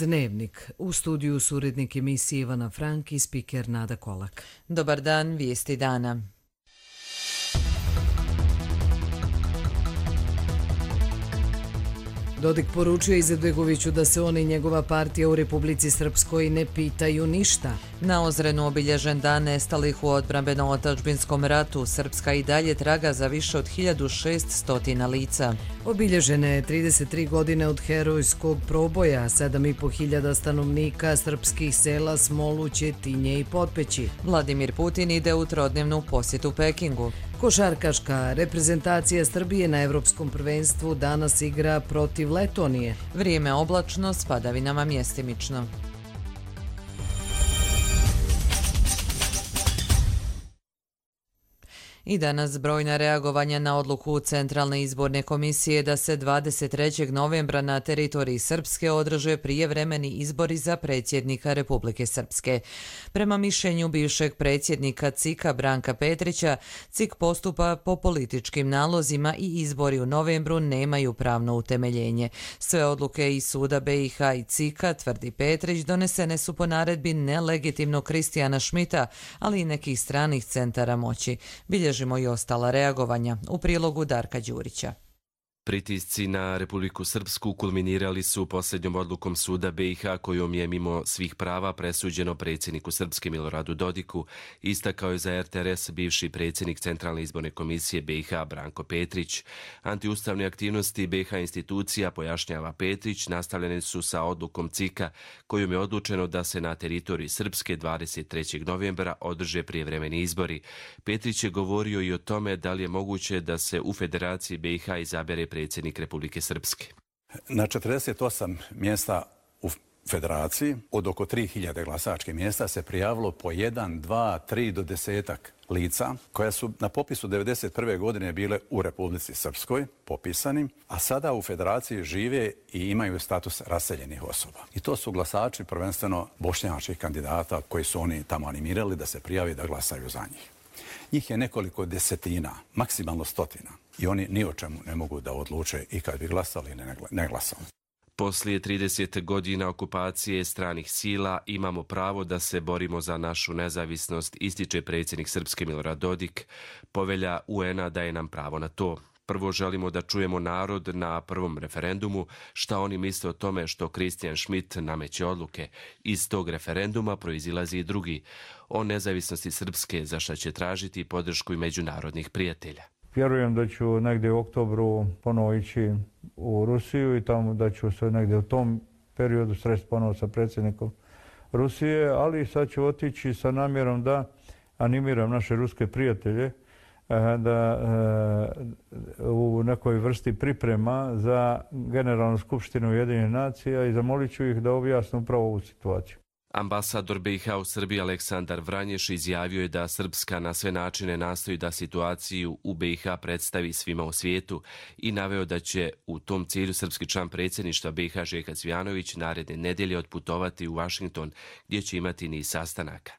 Dnevnik. U studiju su urednik emisije Ivana Frank i spiker Nada Kolak. Dobar dan, vijesti dana. Dodik poručio Izetbegoviću da se on i njegova partija u Republici Srpskoj ne pitaju ništa. Na Ozrenu obilježen dan nestalih u odbrambeno-otadžbinskom ratu. Srpska i dalje traga za više od 1600 lica. Obilježene je 33 godine od herojskog proboja, 7.500 stanovnika srpskih sela Smoluće, Tinje i Potpeći. Vladimir Putin ide u trodnevnu posjetu Pekingu. Košarkaška reprezentacija Srbije na Evropskom prvenstvu danas igra protiv Letonije. Vrijeme oblačno s padavinama mjestimično. I danas brojna reagovanja na odluku Centralne izborne komisije da se 23. novembra na teritoriji Srpske održe prijevremeni izbori za predsjednika Republike Srpske. Prema mišljenju bivšeg predsjednika CIK-a Branka Petrića, CIK postupa po političkim nalozima i izbori u novembru nemaju pravno utemeljenje. Sve odluke iz suda BiH i CIK-a, tvrdi Petrić, donesene su po naredbi nelegitimnog Kristijana Šmita, ali i nekih stranih centara moći. Bilježimo i ostala reagovanja. U prilogu Darka Đurića. Pritisci na Republiku Srpsku kulminirali su posljednjom odlukom suda BiH kojom je mimo svih prava presuđeno predsjedniku Srpske Miloradu Dodiku, istakao je za RTRS bivši predsjednik Centralne izborne komisije BiH Branko Petrić. Antiustavne aktivnosti BiH institucija, pojašnjava Petrić, nastavljene su sa odlukom CIK-a kojom je odlučeno da se na teritoriji Srpske 23. novembra održe prijevremeni izbori. Petrić je govorio i o tome da li je moguće da se u Federaciji BiH izabere predsjednik Republike Srpske. Na 48 mjesta u Federaciji od oko 3000 glasačkih mjesta se prijavilo po 1, 2, 3 do 10 lica koja su na popisu 1991. godine bile u Republici Srpskoj popisani, a sada u Federaciji žive i imaju status raseljenih osoba. I to su glasači prvenstveno bošnjačkih kandidata koji su oni tamo animirali da se prijavi da glasaju za njih. Njih je nekoliko desetina, maksimalno stotina. I oni ni o čemu ne mogu da odluče i kad bi glasali ili ne glasali. Poslije 30 godina okupacije stranih sila imamo pravo da se borimo za našu nezavisnost, ističe predsjednik Srpske Milorad Dodik. Povelja UN-a daje nam pravo na to. Prvo želimo da čujemo narod na prvom referendumu šta oni misle o tome što Kristijan Šmit nameće odluke. Iz tog referenduma proizilazi i drugi, o nezavisnosti Srpske, za šta će tražiti podršku i međunarodnih prijatelja. Vjerujem da ću negdje u oktobru ponovo ići u Rusiju i tamo da ću se negdje u tom periodu sresti ponovo sa predsjednikom Rusije, ali sad ću otići sa namjerom da animiram naše ruske prijatelje da u nekoj vrsti priprema za Generalnu skupštinu Ujedinjenih nacija i zamolit ću ih da objasnu upravo ovu situaciju. Ambasador BiH u Srbiji Aleksandar Vranješ izjavio je da Srpska na sve načine nastoji da situaciju u BiH predstavi svima u svijetu i naveo da će u tom cilju srpski član predsjedništva BiH Željko Cvijanović naredne nedjelje otputovati u Washington gdje će imati niz sastanaka.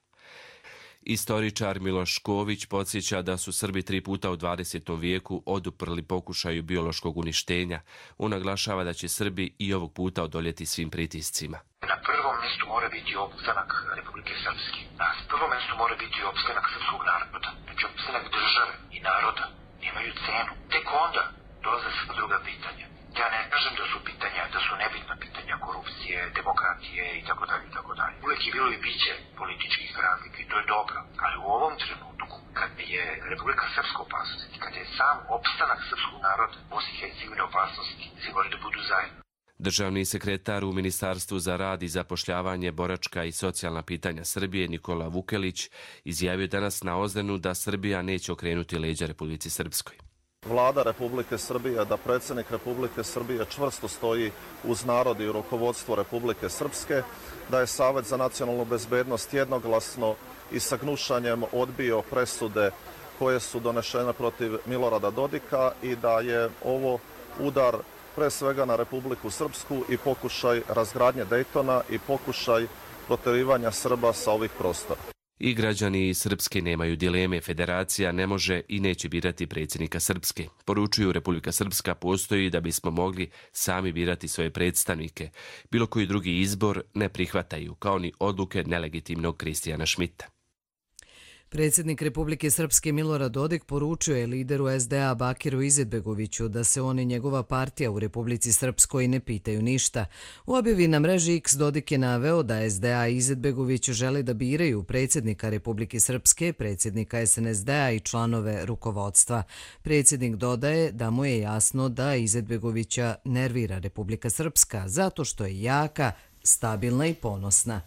Istoričar Miloš Šković podsjeća da su Srbi 3 puta u 20. vijeku oduprli pokušaju biološkog uništenja. On naglašava da će Srbi i ovog puta odoljeti svim pritiscima. Na prvom mjestu mora biti opstanak Republike Srpske. Na prvom mjestu mora biti opstanak srpskog naroda. Znači opstanak države i naroda nemaju cenu. Tek onda dolaze sva druga pitanja. Ja ne kažem da su pitanja, da su nebitna pitanja korupcije, demokratije i tako dalje. Uvijek je bilo i biće političkih razlika i to je dobro. Ali u ovom trenutku, kad je Republika Srpska opasnosti, kad je sam opstanak srpskog naroda, Bosne i Hercegovine opasnosti, svi moraju da budu zajedno. Državni sekretar u Ministarstvu za rad i zapošljavanje, boračka i socijalna pitanja Srbije Nikola Vukelić izjavio danas na Ozrenu da Srbija neće okrenuti leđa Republici Srpskoj. Vlada Republike Srbije, da predsjednik Republike Srbije čvrsto stoji uz narod i rukovodstvo Republike Srpske, da je Savet za nacionalnu bezbednost jednoglasno i sa gnušanjem odbio presude koje su donešene protiv Milorada Dodika i da je ovo udar pre svega na Republiku Srpsku i pokušaj razgradnje Dejtona i pokušaj protjerivanja Srba sa ovih prostora. I građani Srpske nemaju dileme, federacija ne može i neće birati predsjednika Srpske. Poručuju, Republika Srpska postoji da bismo mogli sami birati svoje predstavnike. Bilo koji drugi izbor ne prihvataju, kao ni odluke nelegitimnog Kristijana Šmita. Predsjednik Republike Srpske Milorad Dodik poručio je lideru SDA Bakiru Izetbegoviću da se on i njegova partija u Republici Srpskoj ne pitaju ništa. U objavi na mreži X Dodik je naveo da SDA i Izetbegović želi da biraju predsjednika Republike Srpske, predsjednika SNSD-a i članove rukovodstva. Predsjednik dodaje da mu je jasno da Izetbegovića nervira Republika Srpska zato što je jaka, stabilna i ponosna.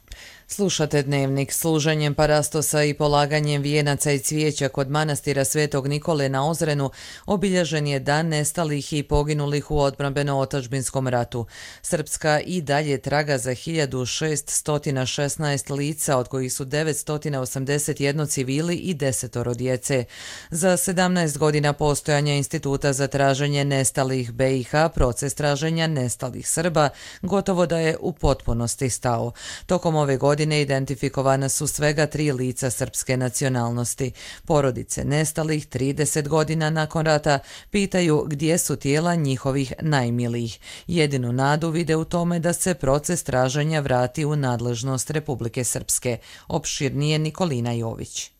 Slušate Dnevnik. Služenjem parastosa i polaganjem vijenaca i cvijeća kod manastira Svetog Nikole na Ozrenu obilježen je dan nestalih i poginulih u odbrambeno-otadžbinskom ratu. Srpska i dalje traga za 1616 lica, od kojih su 981 civili i 10 djece. Za 17 godina postojanja Instituta za traženje nestalih BiH, proces traženja nestalih Srba gotovo da je u potpunosti stao. Tokom ove godine identifikovana su svega 3 lica srpske nacionalnosti. Porodice nestalih 30 godina nakon rata pitaju gdje su tijela njihovih najmilijih. Jedinu nadu vide u tome da se proces traženja vrati u nadležnost Republike Srpske. Opširnije Nikolina Jović.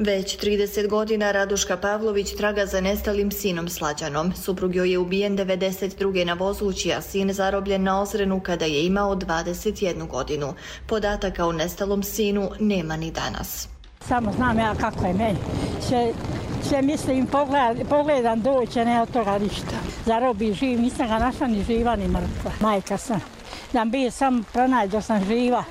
Već 30 godina Raduška Pavlović traga za nestalim sinom Slađanom. Suprug joj je ubijen 92. na Vozući, a sin zarobljen na Ozrenu kada je imao 21 godinu. Podataka o nestalom sinu nema ni danas. Samo znam ja kako je meni. Sve mislim, pogledam doće, ne od toga ništa. Zarobi živ, nisam ga našla ni živa ni mrtva. Majka sam. Da bi sam pronađo sam živa.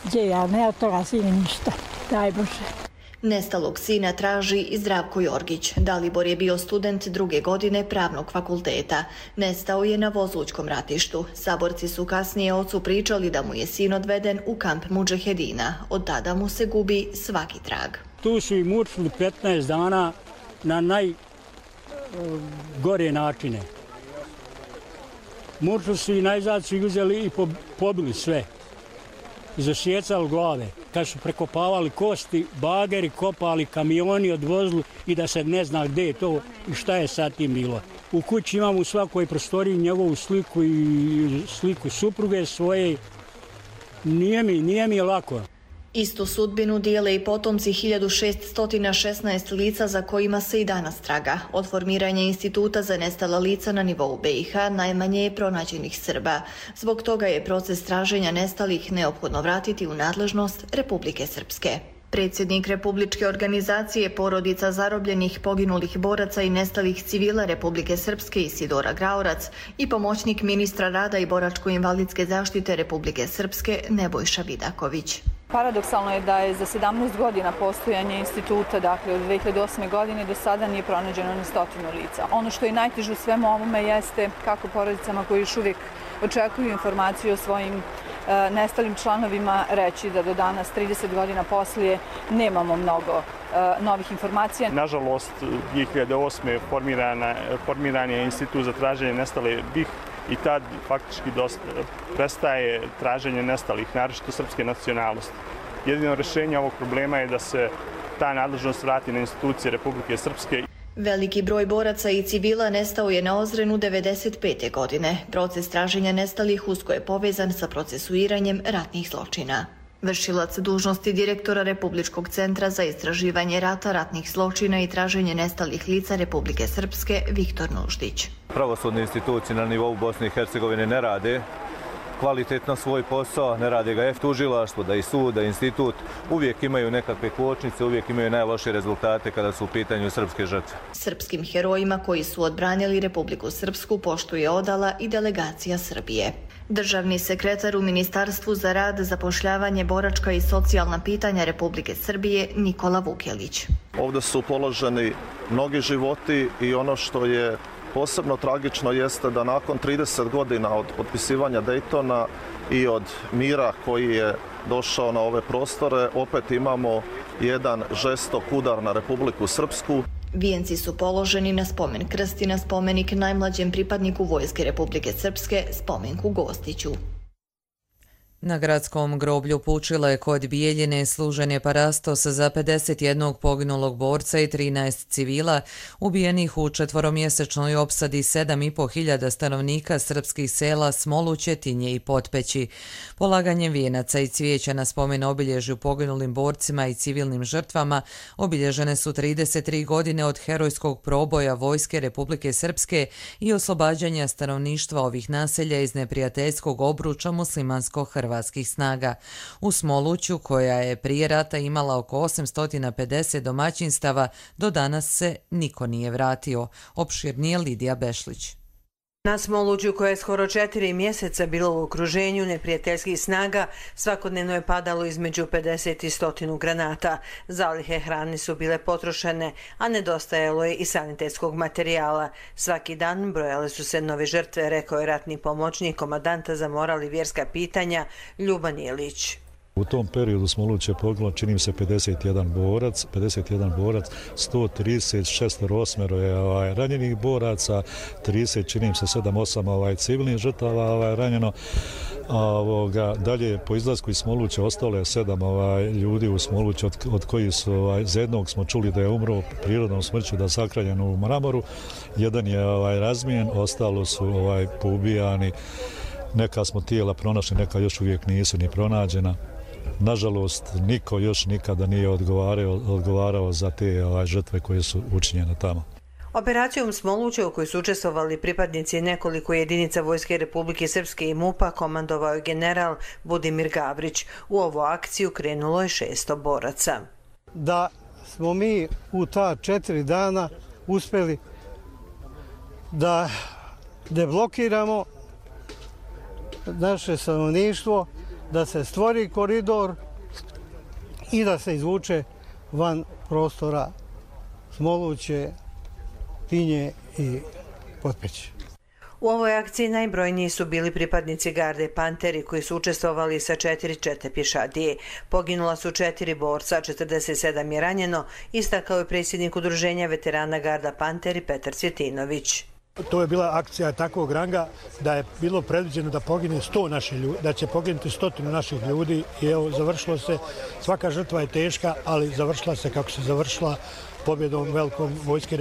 Gdje ja, ne od toga sini ništa. Daj Bože. Nestalog sina traži i Zdravko Jorgić. Dalibor je bio student 2. godine pravnog fakulteta. Nestao je na Vozućkom ratištu. Saborci su kasnije ocu pričali da mu je sin odveden u kamp Mudžahedina. Od tada mu se gubi svaki trag. Tu su i mučili 15 dana na najgore načine. Mučili su i najzad su ih uzeli i pobili sve. Zasjecali glave. Kad su prekopavali kosti, bageri kopali, kamioni odvozili i da se ne zna gdje je to i šta je sad tim bilo. U kući imamo u svakoj prostoriji njegovu sliku i sliku supruge svoje. Nije mi lako. Istu sudbinu dijele i potomci 1616 lica za kojima se i danas traga. Od formiranja Instituta za nestala lica na nivou BiH najmanje je pronađenih Srba. Zbog toga je proces traženja nestalih neophodno vratiti u nadležnost Republike Srpske. Predsjednik Republičke organizacije porodica zarobljenih, poginulih boraca i nestalih civila Republike Srpske Isidora Graorac i pomoćnik ministra rada i boračko-invalidske zaštite Republike Srpske Nebojša Vidaković. Paradoksalno je da je za 17 godina postojanja instituta, dakle od 2008. godine do sada nije pronađeno ni 100 lica. Ono što je najteže u svemu ovome jeste kako porodicama koji još uvijek očekuju informaciju o svojim nestalim članovima reći da do danas, 30 godina poslije, nemamo mnogo novih informacija. Nažalost, 2008. formiran je Institut za traženje nestale BiH i tad faktički prestaje traženje nestalih, naročito srpske nacionalnosti. Jedino rješenje ovog problema je da se ta nadležnost vrati na institucije Republike Srpske. Veliki broj boraca i civila nestao je na Ozrenu 1995. godine. Proces traženja nestalih usko je povezan sa procesuiranjem ratnih zločina. Vršilac dužnosti direktora Republičkog centra za istraživanje rata, ratnih zločina i traženje nestalih lica Republike Srpske Viktor Nuždić. Pravosudne institucije na nivou Bosne i Hercegovine ne rade kvalitetno svoj posao, ne rade ga tužilaštvo, da i sud, da institut, uvijek imaju nekakve kočnice, uvijek imaju najlošije rezultate kada su u pitanju srpske žrtve. Srpskim herojima koji su odbranili Republiku Srpsku poštu je odala i delegacija Srbije. Državni sekretar u Ministarstvu za rad, zapošljavanje, boračka i socijalna pitanja Republike Srbije Nikola Vukelić. Ovdje su položeni mnogi životi i ono što je posebno tragično jeste da nakon 30 godina od potpisivanja Daytona i od mira koji je došao na ove prostore, opet imamo jedan žestok udar na Republiku Srpsku. Vijenci su položeni na spomen krst i na spomenik najmlađem pripadniku Vojske Republike Srpske, spomenku Gostiću. Na gradskom groblju Pučile kod Bijeljine služen je parastos za 51 poginulog borca i 13 civila ubijenih u četvoromjesečnoj opsadi 7.500 stanovnika srpskih sela Smoluće, Tinje i Potpeći. Polaganjem vijenaca i cvijeća na spomen obilježju poginulim borcima i civilnim žrtvama obilježene su 33 godine od herojskog proboja Vojske Republike Srpske i oslobađanja stanovništva ovih naselja iz neprijateljskog obruča muslimansko-hrvatskih snaga. U Smoluću, koja je prije rata imala oko 850 domaćinstava, do danas se niko nije vratio. Opširnije Lidija Bešlić. Na Smoluću, koje je skoro 4 mjeseca bilo u okruženju neprijateljskih snaga, svakodnevno je padalo između 50 i 100 granata. Zalihe hrane su bile potrošene, a nedostajalo je i sanitetskog materijala. Svaki dan brojale su se nove žrtve, rekao je ratni pomoćnik komandanta za moral i vjerska pitanja Ljuban Jelić. U tom periodu Smoluć je poginulo, čini se, 51 borac, 136 je ranjenih boraca, 30, čini se, 7-8 civilnih žrtava ranjeno. Dalje, po izlasku iz Smoluća ostalo je 7 ljudi u Smoluću, od kojih su, za jednog smo čuli da je umro prirodnom smrću, da je sakranjen u mramoru, jedan je razmijen, ostalo su poubijani. Neka smo tijela pronašli, neka još uvijek nisu ni pronađena. Nažalost, niko još nikada nije odgovarao za te žrtve koje su učinjene tamo. Operacijom Smoluća, u kojoj su učestvovali pripadnici nekoliko jedinica Vojske Republike Srpske i MUP-a, komandovao je general Budimir Gavrić. U ovu akciju krenulo je 600 boraca. Da smo mi u ta 4 dana uspjeli da deblokiramo naše stanovništvo, da se stvori koridor i da se izvuče van prostora Smoluće, Tinje i Potpeći. U ovoj akciji najbrojniji su bili pripadnici garde Panteri koji su učestvovali sa 4 čete pješadije. Poginula su 4 borca, 47 je ranjeno, istakao je predsjednik udruženja veterana garda Panteri Petar Cvjetinović. To je bila akcija takvog ranga da je bilo predviđeno da pogine 100 naših ljudi, da će poginuti 100 naših ljudi i evo završilo se. Svaka žrtva je teška, ali završila se kako se završila, pobjedom velikom Vojske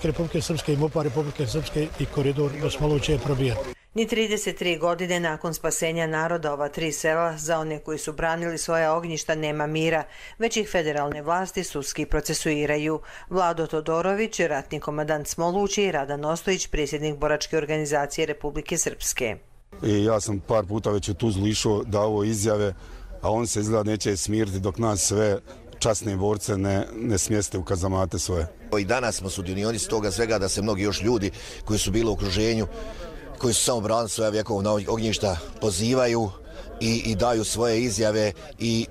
Republike Srpske i MUP-a Republike Srpske i koridor do Smoluće je probijen. Ni 33 godine nakon spasenja naroda ova 3 sela, za one koji su branili svoja ognjišta nema mira, već ih federalne vlasti sudski procesuiraju. Vlado Todorović, ratni komandant Smoluće, i Radan Ostojić, predsjednik boračke organizacije Republike Srpske. Ja sam par puta već u Tuzlu išao, dao izjave, a on se izgleda neće smiriti dok nas sve časne borce ne smjeste u kazamate svoje. I danas smo sudionici toga svega da se mnogi još ljudi koji su bili u okruženju, koji su samo branili svoja vjekovna ognjišta, pozivaju i daju svoje izjave i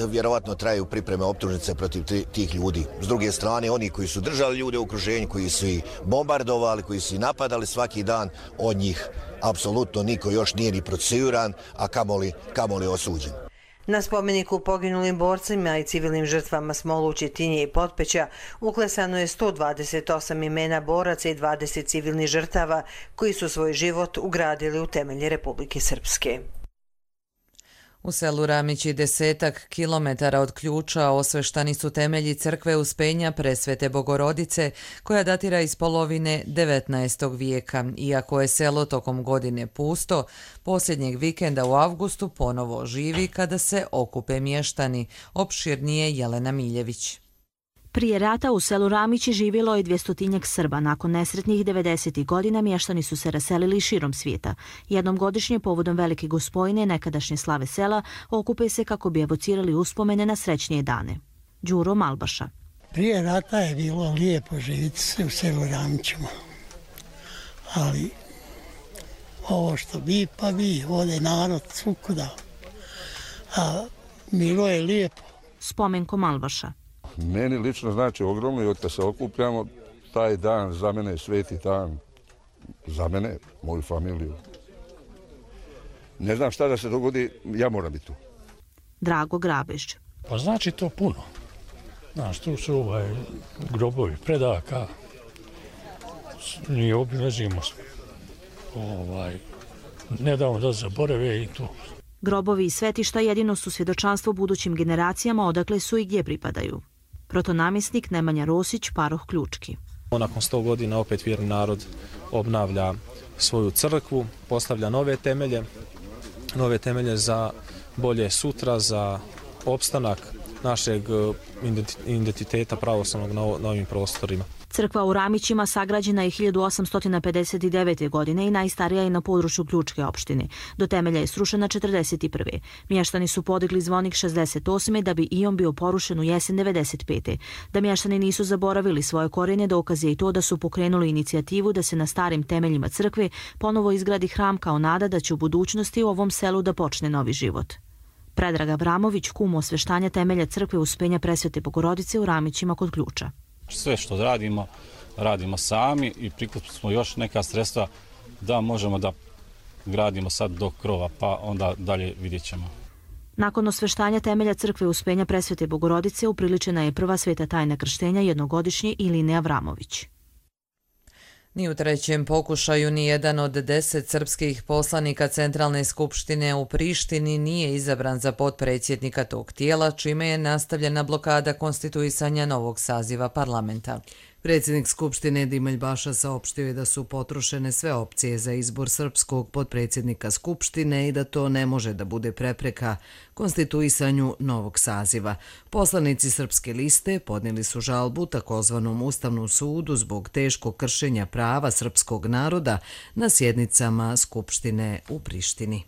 vjerovatno traju pripreme optužnice protiv tih ljudi. S druge strane, oni koji su držali ljude u okruženju, koji su ih bombardovali, koji su ih napadali svaki dan, od njih apsolutno niko još nije ni procesuiran, a kamoli osuđen. Na spomeniku poginulim borcima i civilnim žrtvama Smoluće, Tinje i Potpeća uklesano je 128 imena boraca i 20 civilnih žrtava koji su svoj život ugradili u temelje Republike Srpske. U selu Ramići 10 kilometara od Ključa osveštani su temelji crkve Uspenja Presvete Bogorodice, koja datira iz polovine 19. vijeka. Iako je selo tokom godine pusto, posljednjeg vikenda u avgustu ponovo živi kada se okupe mještani. Opširnije Jelena Miljević. Prije rata u selu Ramići živjelo je 200-tinjak Srba. Nakon nesretnih 90. godina mještani su se raselili širom svijeta. Jednom godišnje povodom Velike Gospojine, nekadašnje slave sela, okupe se kako bi evocirali uspomene na srećnije dane. Đuro Malbaša. Prije rata je bilo lijepo živjeti se u selu Ramićima. Ali ovo što bi pa bi, ode narod svukuda. A bilo je lijepo. Spomenko Malbaša. Meni lično znači ogromno i od kad se okupljamo, taj dan za mene je sveti dan, za mene, moju familiju. Ne znam šta da se dogodi, ja moram biti tu. Drago Grabež. Pa znači to puno. Znaš, tu su grobovi predaka, mi obilazimo ne damo da zaborave i to. Grobovi i svetišta jedino su svjedočanstvo budućim generacijama odakle su i gdje pripadaju. Protonamjesnik Nemanja Rosić, paroh Ključki. Nakon 100 godina opet vjerni narod obnavlja svoju crkvu, postavlja nove temelje za bolje sutra, za opstanak našeg identiteta pravoslavnog na ovim prostorima. Crkva u Ramićima sagrađena je 1859. godine i najstarija je na području Ključke opštine. Do temelja je srušena 41. Mještani su podigli zvonik 68. da bi i on bio porušen u jesen 95. Da mještani nisu zaboravili svoje korijene dokaz je i to da su pokrenuli inicijativu da se na starim temeljima crkve ponovo izgradi hram kao nada da će u budućnosti u ovom selu da počne novi život. Predrag Avramović, kum osveštanja temelja crkve Uspenja Presvete Bogorodice u Ramićima kod Ključa. Sve što radimo sami i prikupili smo još neka sredstva da možemo da gradimo sad do krova, pa onda dalje vidjet ćemo. Nakon osveštanja temelja crkve Uspenja Presvete Bogorodice upriličena je prva sveta tajna krštenja jednogodišnje Iline Avramović. Ni u trećem pokušaju ni jedan od 10 srpskih poslanika Centralne skupštine u Prištini nije izabran za potpredsjednika tog tijela, čime je nastavljena blokada konstituisanja novog saziva parlamenta. Predsjednik Skupštine Dimelj Baša saopštio je da su potrošene sve opcije za izbor srpskog potpredsjednika Skupštine i da to ne može da bude prepreka konstituisanju novog saziva. Poslanici Srpske liste podnijeli su žalbu takozvanom Ustavnom sudu zbog teškog kršenja prava srpskog naroda na sjednicama Skupštine u Prištini.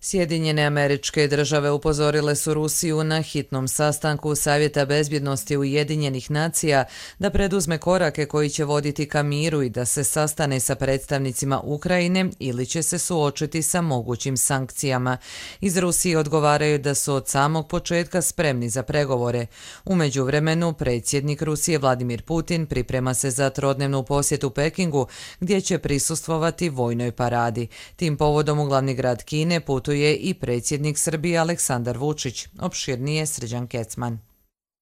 Sjedinjene Američke Države upozorile su Rusiju na hitnom sastanku Savjeta bezbjednosti Ujedinjenih nacija da preduzme korake koji će voditi ka miru i da se sastane sa predstavnicima Ukrajine ili će se suočiti sa mogućim sankcijama. Iz Rusije odgovaraju da su od samog početka spremni za pregovore. U međuvremenu, predsjednik Rusije Vladimir Putin priprema se za trodnevnu posjetu Pekingu gdje će prisustvovati vojnoj paradi. Tim povodom u glavni grad Kine putuje i predsjednik Srbije Aleksandar Vučić. Opširnije Srđan Kecman.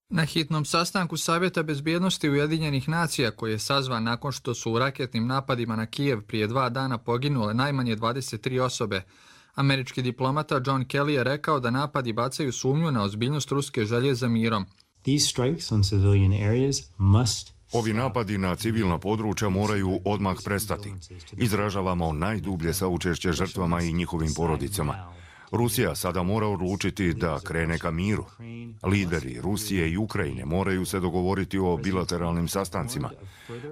Na hitnom sastanku Savjeta bezbjednosti Ujedinjenih nacija, koji je sazvan nakon što su u raketnim napadima na Kijev prije 2 dana poginule najmanje 23 osobe, američki diplomata John Kelly je rekao da napadi bacaju sumnju na ozbiljnost ruske želje za mirom. Ovi napadi na civilna područja moraju odmah prestati. Izražavamo najdublje saučešće žrtvama i njihovim porodicama. Rusija sada mora odlučiti da krene ka miru. Lideri Rusije i Ukrajine moraju se dogovoriti o bilateralnim sastancima.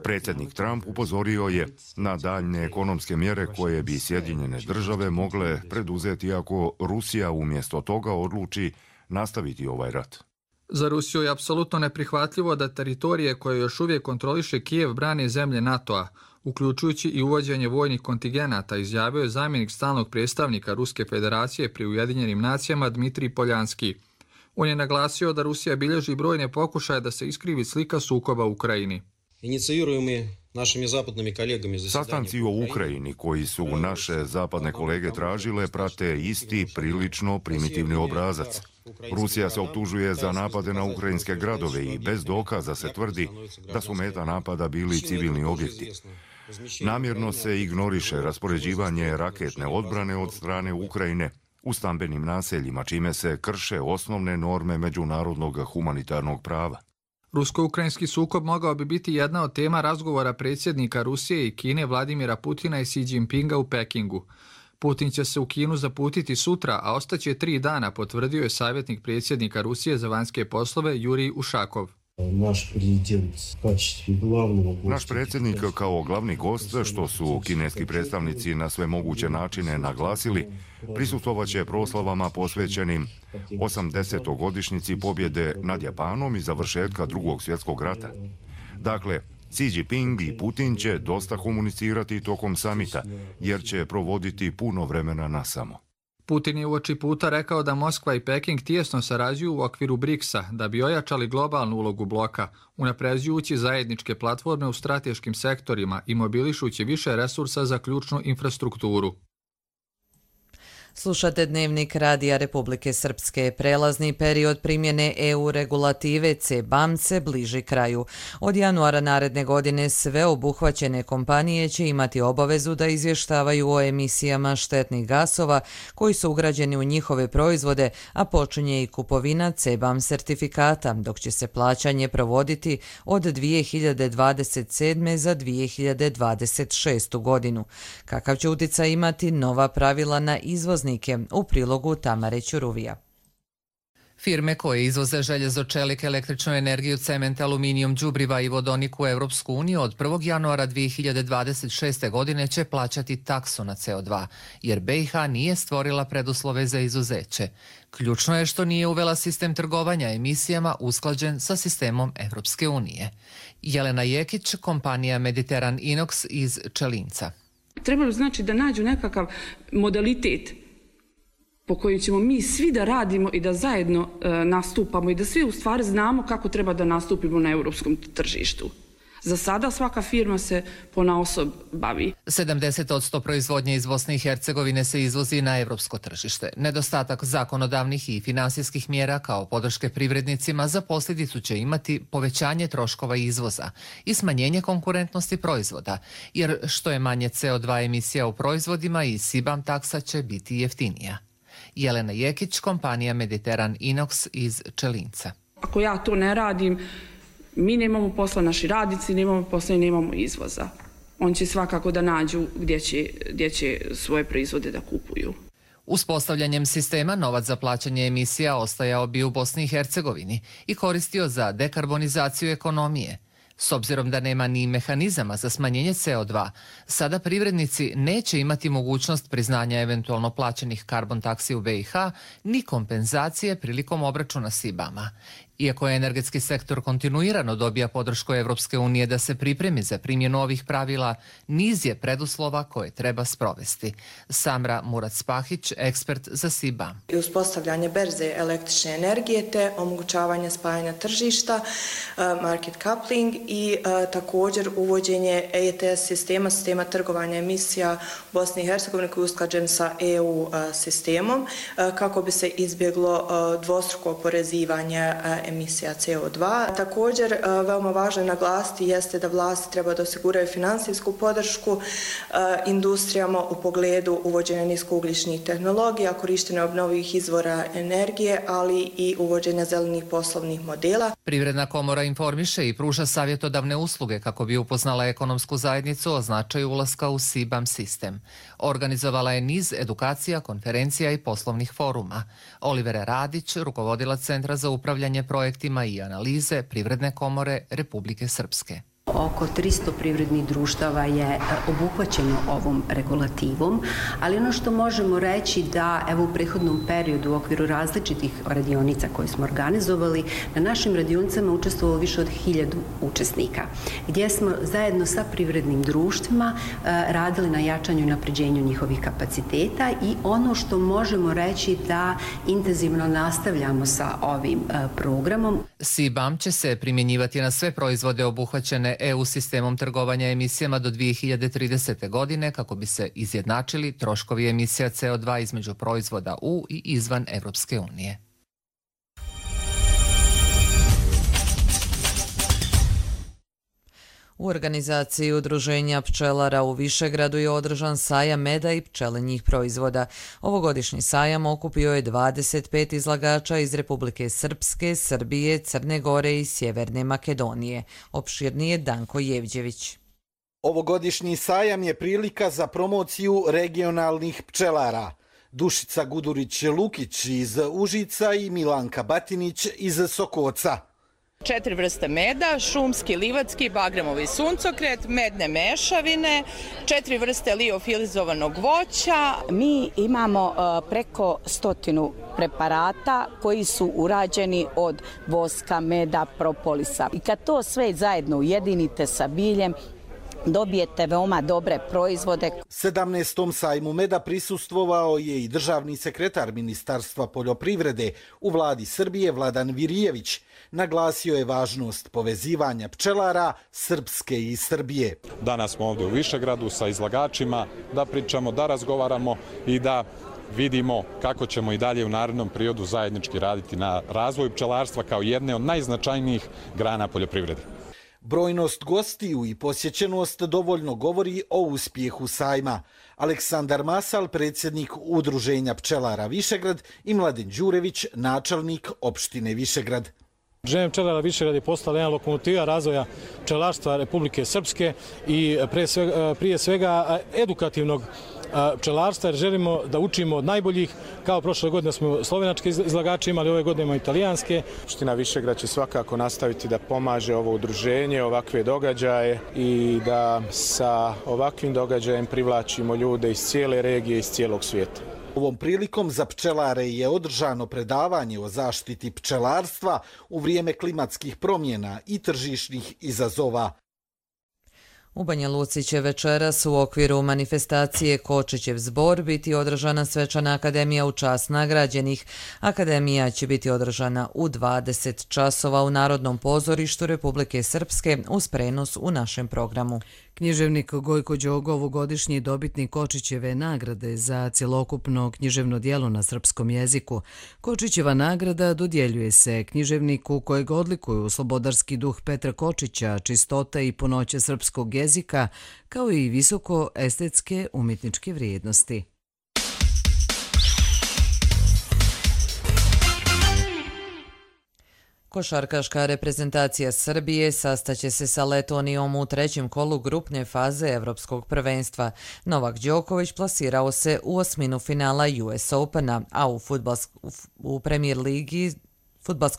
Predsjednik Trump upozorio je na daljne ekonomske mjere koje bi Sjedinjene Države mogle preduzeti ako Rusija umjesto toga odluči nastaviti ovaj rat. Za Rusiju je apsolutno neprihvatljivo da teritorije koje još uvijek kontroliše Kijev brane zemlje NATO-a, uključujući i uvođenje vojnih kontingenata, izjavio je zamjenik stalnog predstavnika Ruske federacije pri Ujedinjenim nacijama Dmitrij Poljanski. On je naglasio da Rusija bilježi brojne pokušaje da se iskrivi slika sukoba u Ukrajini. Sastanci o Ukrajini koji su naše zapadne kolege tražile prate isti prilično primitivni obrazac. Rusija se optužuje za napade na ukrajinske gradove i bez dokaza se tvrdi da su meta napada bili civilni objekti. Namjerno se ignoriše raspoređivanje raketne odbrane od strane Ukrajine u stambenim naseljima, čime se krše osnovne norme međunarodnog humanitarnog prava. Rusko-ukrajinski sukob mogao bi biti jedna od tema razgovora predsjednika Rusije i Kine Vladimira Putina i Xi Jinpinga u Pekingu. Putin će se u Kinu zaputiti sutra, a ostaće 3 dana, potvrdio je savjetnik predsjednika Rusije za vanjske poslove Jurij Ušakov. Naš predsjednik kao glavni gost, što su kineski predstavnici na sve moguće načine naglasili, prisustvovaće proslavama posvećenim 80-godišnjici pobjede nad Japanom i završetka Drugog svjetskog rata. Dakle, Xi Jinping i Putin će dosta komunicirati tokom samita, jer će provoditi puno vremena nasamo. Putin je uoči puta rekao da Moskva i Peking tijesno sarađuju u okviru BRICS-a da bi ojačali globalnu ulogu bloka, unapređujući zajedničke platforme u strateškim sektorima i mobilišući više resursa za ključnu infrastrukturu. Slušate Dnevnik Radija Republike Srpske. Prelazni period primjene EU regulative CBAM se bliži kraju. Od januara naredne godine sve obuhvaćene kompanije će imati obavezu da izvještavaju o emisijama štetnih gasova koji su ugrađeni u njihove proizvode, a počinje i kupovina CBAM sertifikata, dok će se plaćanje provoditi od 2027. za 2026. godinu. Kakav će utjecaj imati nova pravila na izvoznike? U prilogu Tamare Ćuruvija. Firme koje izvoze željezo, čelik, električnu energiju, cement, aluminijum, đubriva i vodonik u Europsku uniju od 1. januara 2026. godine će plaćati taksu na CO2, jer BiH nije stvorila preduslove za izuzeće. Ključno je što nije uvela sistem trgovanja emisijama usklađen sa sistemom Europske unije. Jelena Jekić, kompanija Mediteran Inox iz Čelinca. Trebalo znači da nađu nekakav modalitet po kojem ćemo mi svi da radimo i da zajedno nastupamo i da svi u stvari znamo kako treba da nastupimo na europskom tržištu. Za sada svaka firma se ponaosob bavi. 70% proizvodnje iz Bosne i Hercegovine se izvozi na evropsko tržište. Nedostatak zakonodavnih i finansijskih mjera kao podrške privrednicima za posljedicu će imati povećanje troškova izvoza i smanjenje konkurentnosti proizvoda, jer što je manje CO2 emisija u proizvodima i CBAM taksa će biti jeftinija. Jelena Jekić, kompanija Mediteran Inox iz Čelinca. Ako ja to ne radim, mi nemamo posla, naši radnici nemamo posla i nemamo izvoza. On će svakako da nađu gdje će svoje proizvode da kupuju. Uspostavljanjem sistema novac za plaćanje emisija ostajao bi u Bosni i Hercegovini i koristio za dekarbonizaciju ekonomije. S obzirom da nema ni mehanizama za smanjenje CO2, sada privrednici neće imati mogućnost priznanja eventualno plaćenih karbon taksi u BiH ni kompenzacije prilikom obračuna CBAM-a. Iako energetski sektor kontinuirano dobija podršku Evropske unije da se pripremi za primjenu ovih pravila, niz je preduslova koje treba sprovesti. Samra Murac-Pahić, ekspert za CBAM. Uspostavljanje berze električne energije te omogućavanje spajanja tržišta, market coupling i također uvođenje ETS sistema trgovanja emisija u Bosni i Hercegovini koji je usklađen sa EU sistemom kako bi se izbjeglo dvostruko oporezivanje emisija CO2. Također, veoma važno je naglasiti jeste da vlasti treba da osiguraju finansijsku podršku industrijama u pogledu uvođenja niskougljičnih tehnologija, korištenja obnovljivih izvora energije, ali i uvođenja zelenih poslovnih modela. Privredna komora informiše i pruža savjetodavne usluge kako bi upoznala ekonomsku zajednicu o značaju ulaska u CBAM sistem. Organizovala je niz edukacija, konferencija i poslovnih foruma. Olivera Radić, rukovodilac Centra za upravljanje projektima i analize Privredne komore Republike Srpske. Oko 300 privrednih društava je obuhvaćeno ovom regulativom, ali ono što možemo reći da evo u prethodnom periodu u okviru različitih radionica koje smo organizovali, na našim radionicama učestvovalo više od 1000 učesnika, gdje smo zajedno sa privrednim društvima radili na jačanju i napređenju njihovih kapaciteta i ono što možemo reći da intenzivno nastavljamo sa ovim programom. CBAM će se primjenjivati na sve proizvode obuhvaćene EU sistemom trgovanja emisijama do 2030. godine kako bi se izjednačili troškovi emisija CO2 između proizvoda u i izvan Evropske unije. U organizaciji Udruženja pčelara u Višegradu je održan sajam meda i pčelinjih proizvoda. Ovogodišnji sajam okupio je 25 izlagača iz Republike Srpske, Srbije, Crne Gore i Sjeverne Makedonije. Opširnije Danko Jevđević. Ovogodišnji sajam je prilika za promociju regionalnih pčelara. Dušica Gudurić-Lukić iz Užica i Milanka Batinić iz Sokoca. 4 vrste meda, šumski, livatski, bagremovi suncokret, medne mešavine, 4 vrste liofilizovanog voća. Mi imamo preko 100 preparata koji su urađeni od voska, meda, propolisa. I kad to sve zajedno ujedinite sa biljem, dobijete veoma dobre proizvode. 17. sajmu meda prisustvovao je i državni sekretar Ministarstva poljoprivrede u vladi Srbije Vladan Virijević. Naglasio je važnost povezivanja pčelara Srpske i Srbije. Danas smo ovdje u Višegradu sa izlagačima da pričamo, da razgovaramo i da vidimo kako ćemo i dalje u narednom periodu zajednički raditi na razvoju pčelarstva kao jedne od najznačajnijih grana poljoprivrede. Brojnost gostiju i posjećenost dovoljno govori o uspjehu sajma. Aleksandar Masal, predsjednik Udruženja pčelara Višegrad, i Mladen Đurević, načelnik opštine Višegrad. Udruženje pčelara Višegrad je postala jedna lokomotiva razvoja pčelarstva Republike Srpske i prije svega edukativnog pčelarstva, jer želimo da učimo od najboljih. Kao prošle godine smo slovenačke izlagače imali, ove godine imamo italijanske. Opština Višegrad će svakako nastaviti da pomaže ovo udruženje, ovakve događaje i da sa ovakvim događajem privlačimo ljude iz cijele regije, iz cijelog svijeta. Ovom prilikom za pčelare je održano predavanje o zaštiti pčelarstva u vrijeme klimatskih promjena i tržišnih izazova. U Banja Luci će večeras u okviru manifestacije Kočićev zbor biti održana svečana akademija u čast nagrađenih. Akademija će biti održana u 20 časova u Narodnom pozorištu Republike Srpske uz prenos u našem programu. Književnik Gojko Đogo, ovogodišnji dobitnik Kočićeve nagrade za cjelokupno književno djelo na srpskom jeziku. Kočićeva nagrada dodjeljuje se književniku kojeg odlikuju slobodarski duh Petra Kočića, čistota i punoća srpskog jezika, kao i visoko estetske umjetničke vrijednosti. Košarkaška reprezentacija Srbije sastaće se sa Letonijom u trećem kolu grupne faze Evropskog prvenstva. Novak Đoković plasirao se u osminu finala US Opena, a u Fudbalskoj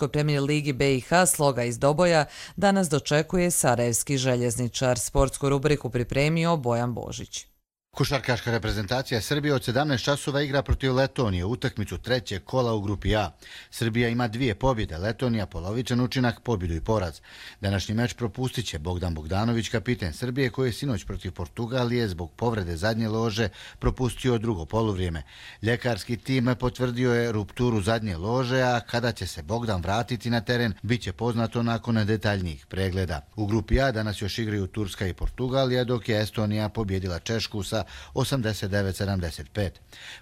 premijer ligi BiH Sloga iz Doboja danas dočekuje sarajevski željezničar. Sportsku rubriku pripremio Bojan Božić. Košarkaška reprezentacija Srbije od 17 časova igra protiv Letonije, utakmicu trećeg kola u grupi A. Srbija ima 2 pobjede, Letonija polovičan učinak, pobjedu i poraz. Današnji meč propustit će Bogdan Bogdanović, kapiten Srbije, koji je sinoć protiv Portugalije zbog povrede zadnje lože propustio drugo poluvrijeme. Ljekarski tim potvrdio je rupturu zadnje lože, a kada će se Bogdan vratiti na teren, bit će poznato nakon detaljnijih pregleda. U grupi A danas još igraju Turska i Portugalija, dok je Estonija pobjedila Češku sa 89-75.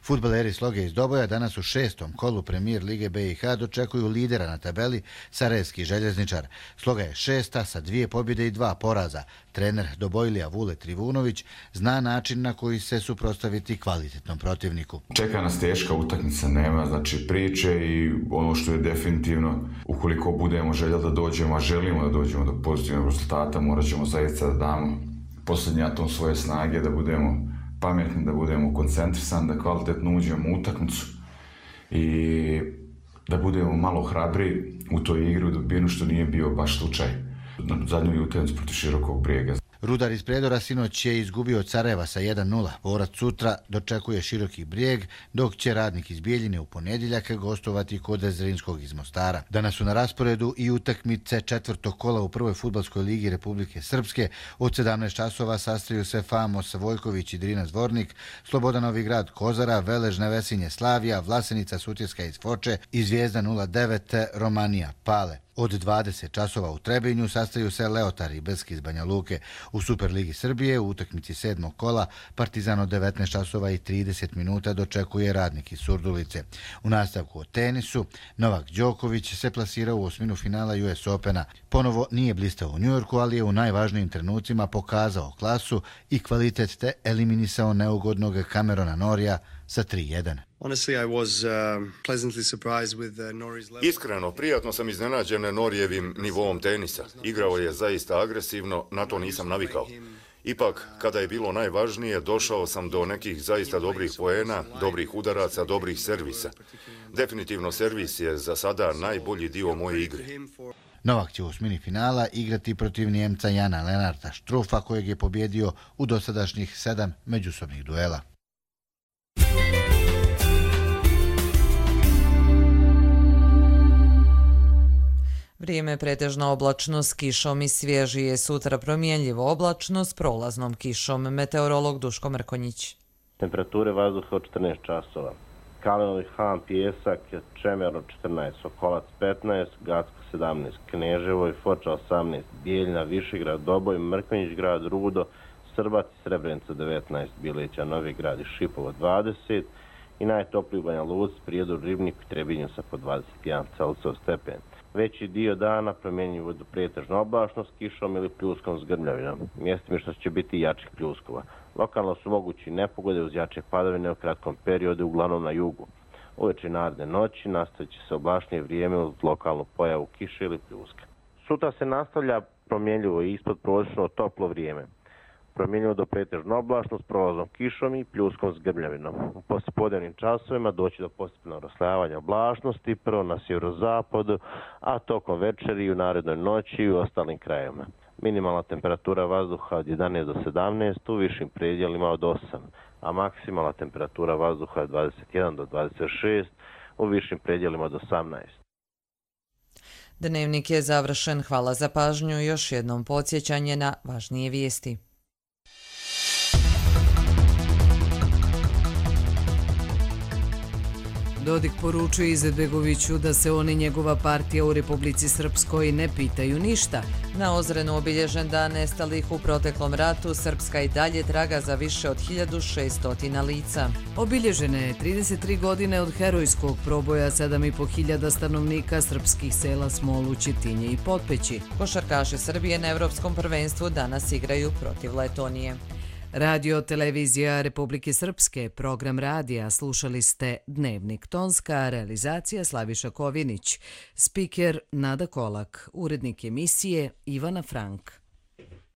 Fudbaleri Sloge iz Doboja danas u 6. kolu premijer Lige BiH dočekuju lidera na tabeli sarajevski željezničar. Sloga je 6. sa 2 pobjede i 2 poraza. Trener Dobojlija Vule Trivunović zna način na koji se suprotstaviti kvalitetnom protivniku. Čeka nas teška utakmica, nema znači priče i ono što je definitivno, ukoliko budemo željeli da dođemo, a želimo da dođemo do pozitivnog rezultata, morat ćemo zaista da damo posljednji atom svoje snage, da budemo pametni, da budemo koncentrisani, da kvalitetno uđemo u utakmicu i da budemo malo hrabri u toj igri u dobijenu, što nije bio baš slučaj na zadnjoj utakmici protiv Širokog Brijega. Rudar iz Predora sinoć je izgubio od Sarajeva sa 1-0. Borac sutra dočekuje Široki Brijeg, dok će Radnik iz Bijeljine u ponedjeljak gostovati kod Zrinskog iz Mostara. Danas su na rasporedu i utakmice četvrtog kola u prvoj fudbalskoj ligi Republike Srpske. Od 17 časova sastaju se Famos Vojković i Drina Zvornik, Slobodan Novi Grad Kozara, Velež Nevesinje Slavija, Vlasenica Sutjeska iz Foče i Zvijezda 09 Romanija Pale. Od 20 časova u Trebinju sastaju se Leotar i Beski iz Banja Luke. U Superligi Srbije u utakmici 7. kola Partizan od 19 časova i 30 minuta dočekuje Radnik iz Surdulice. U nastavku o tenisu Novak Đoković se plasirao u osminu finala US Opena. Ponovo nije blistao u Njujorku, ali je u najvažnijim trenucima pokazao klasu i kvalitet te eliminisao neugodnog Camerona Norija sa 3-1. Iskreno, prijatno sam iznenađen Norijevim nivoom tenisa. Igrao je zaista agresivno, na to nisam navikao. Ipak, kada je bilo najvažnije, došao sam do nekih zaista dobrih poena, dobrih udaraca, dobrih servisa. Definitivno servis je za sada najbolji dio moje igre. Novak će u osmini finala igrati protiv Njemca Jana Lenarta Štrufa, kojeg je pobjedio u dosadašnjih 7 međusobnih duela. Vrijeme pretežna oblačnost s kišom i svježi je, sutra promjenljivo oblačno s prolaznom kišom. Meteorolog Duško Mrkonjić. Temperature vazduha od 14 časova. Kalenovi Han, Pijesak, Čemerno 14, Sokolac 15, Gacko 17, Kneževo i Foča 18, Bijeljina, Višegrad, Doboj, Mrkonjić grad, Rudo, Srbac i Srebrenica 19, Bileća, Novi grad i Šipovo 20, i najtopliji u Banja Luci, Prijedoru, Ribniku i Trebinju sa po 21 Celsijev stepen. Veći dio dana promjenjivo do pretežno oblačno s kišom ili pljuskom s grmljavinom. Mjestimično će biti jačih pljuskova. Lokalno su mogući nepogode uz jače padavine u kratkom periodu, uglavnom na jugu. Uveče i naredne noći nastavit će se oblačnije vrijeme uz lokalnu pojavu kiše ili pljuska. Sutra se nastavlja promjenljivo i ispod prosječno toplo vrijeme. Promjenljivo do pretežno oblačno s prolazom kišom i pljuskom s grmljavinom. U poslijepodnevnim časovima doći do postepenog raslojavanja oblačnosti, prvo na sjeverozapadu, a tokom večeri i u narednoj noći i u ostalim krajevima. Minimalna temperatura vazduha od 11 do 17, u višim predjelima od 8, a maksimalna temperatura vazduha od 21 do 26, u višim predjelima od 18. Dnevnik je završen. Hvala za pažnju. Još jednom podsjećanje na važnije vijesti. Dodik poručuje Izetbegoviću da se on i njegova partija u Republici Srpskoj ne pitaju ništa. Na Ozrenu obilježen dan nestalih u proteklom ratu, Srpska i dalje traga za više od 1600 lica. Obilježene je 33 godine od herojskog proboja 7500 stanovnika srpskih sela Smolu, Čitinje i Potpeći. Košarkaši Srbije na Evropskom prvenstvu danas igraju protiv Letonije. Radio televizija Republike Srpske, program radija, slušali ste Dnevnik, tonska realizacija Slaviša Kovinić, spiker Nada Kolak, urednik emisije Ivana Frank.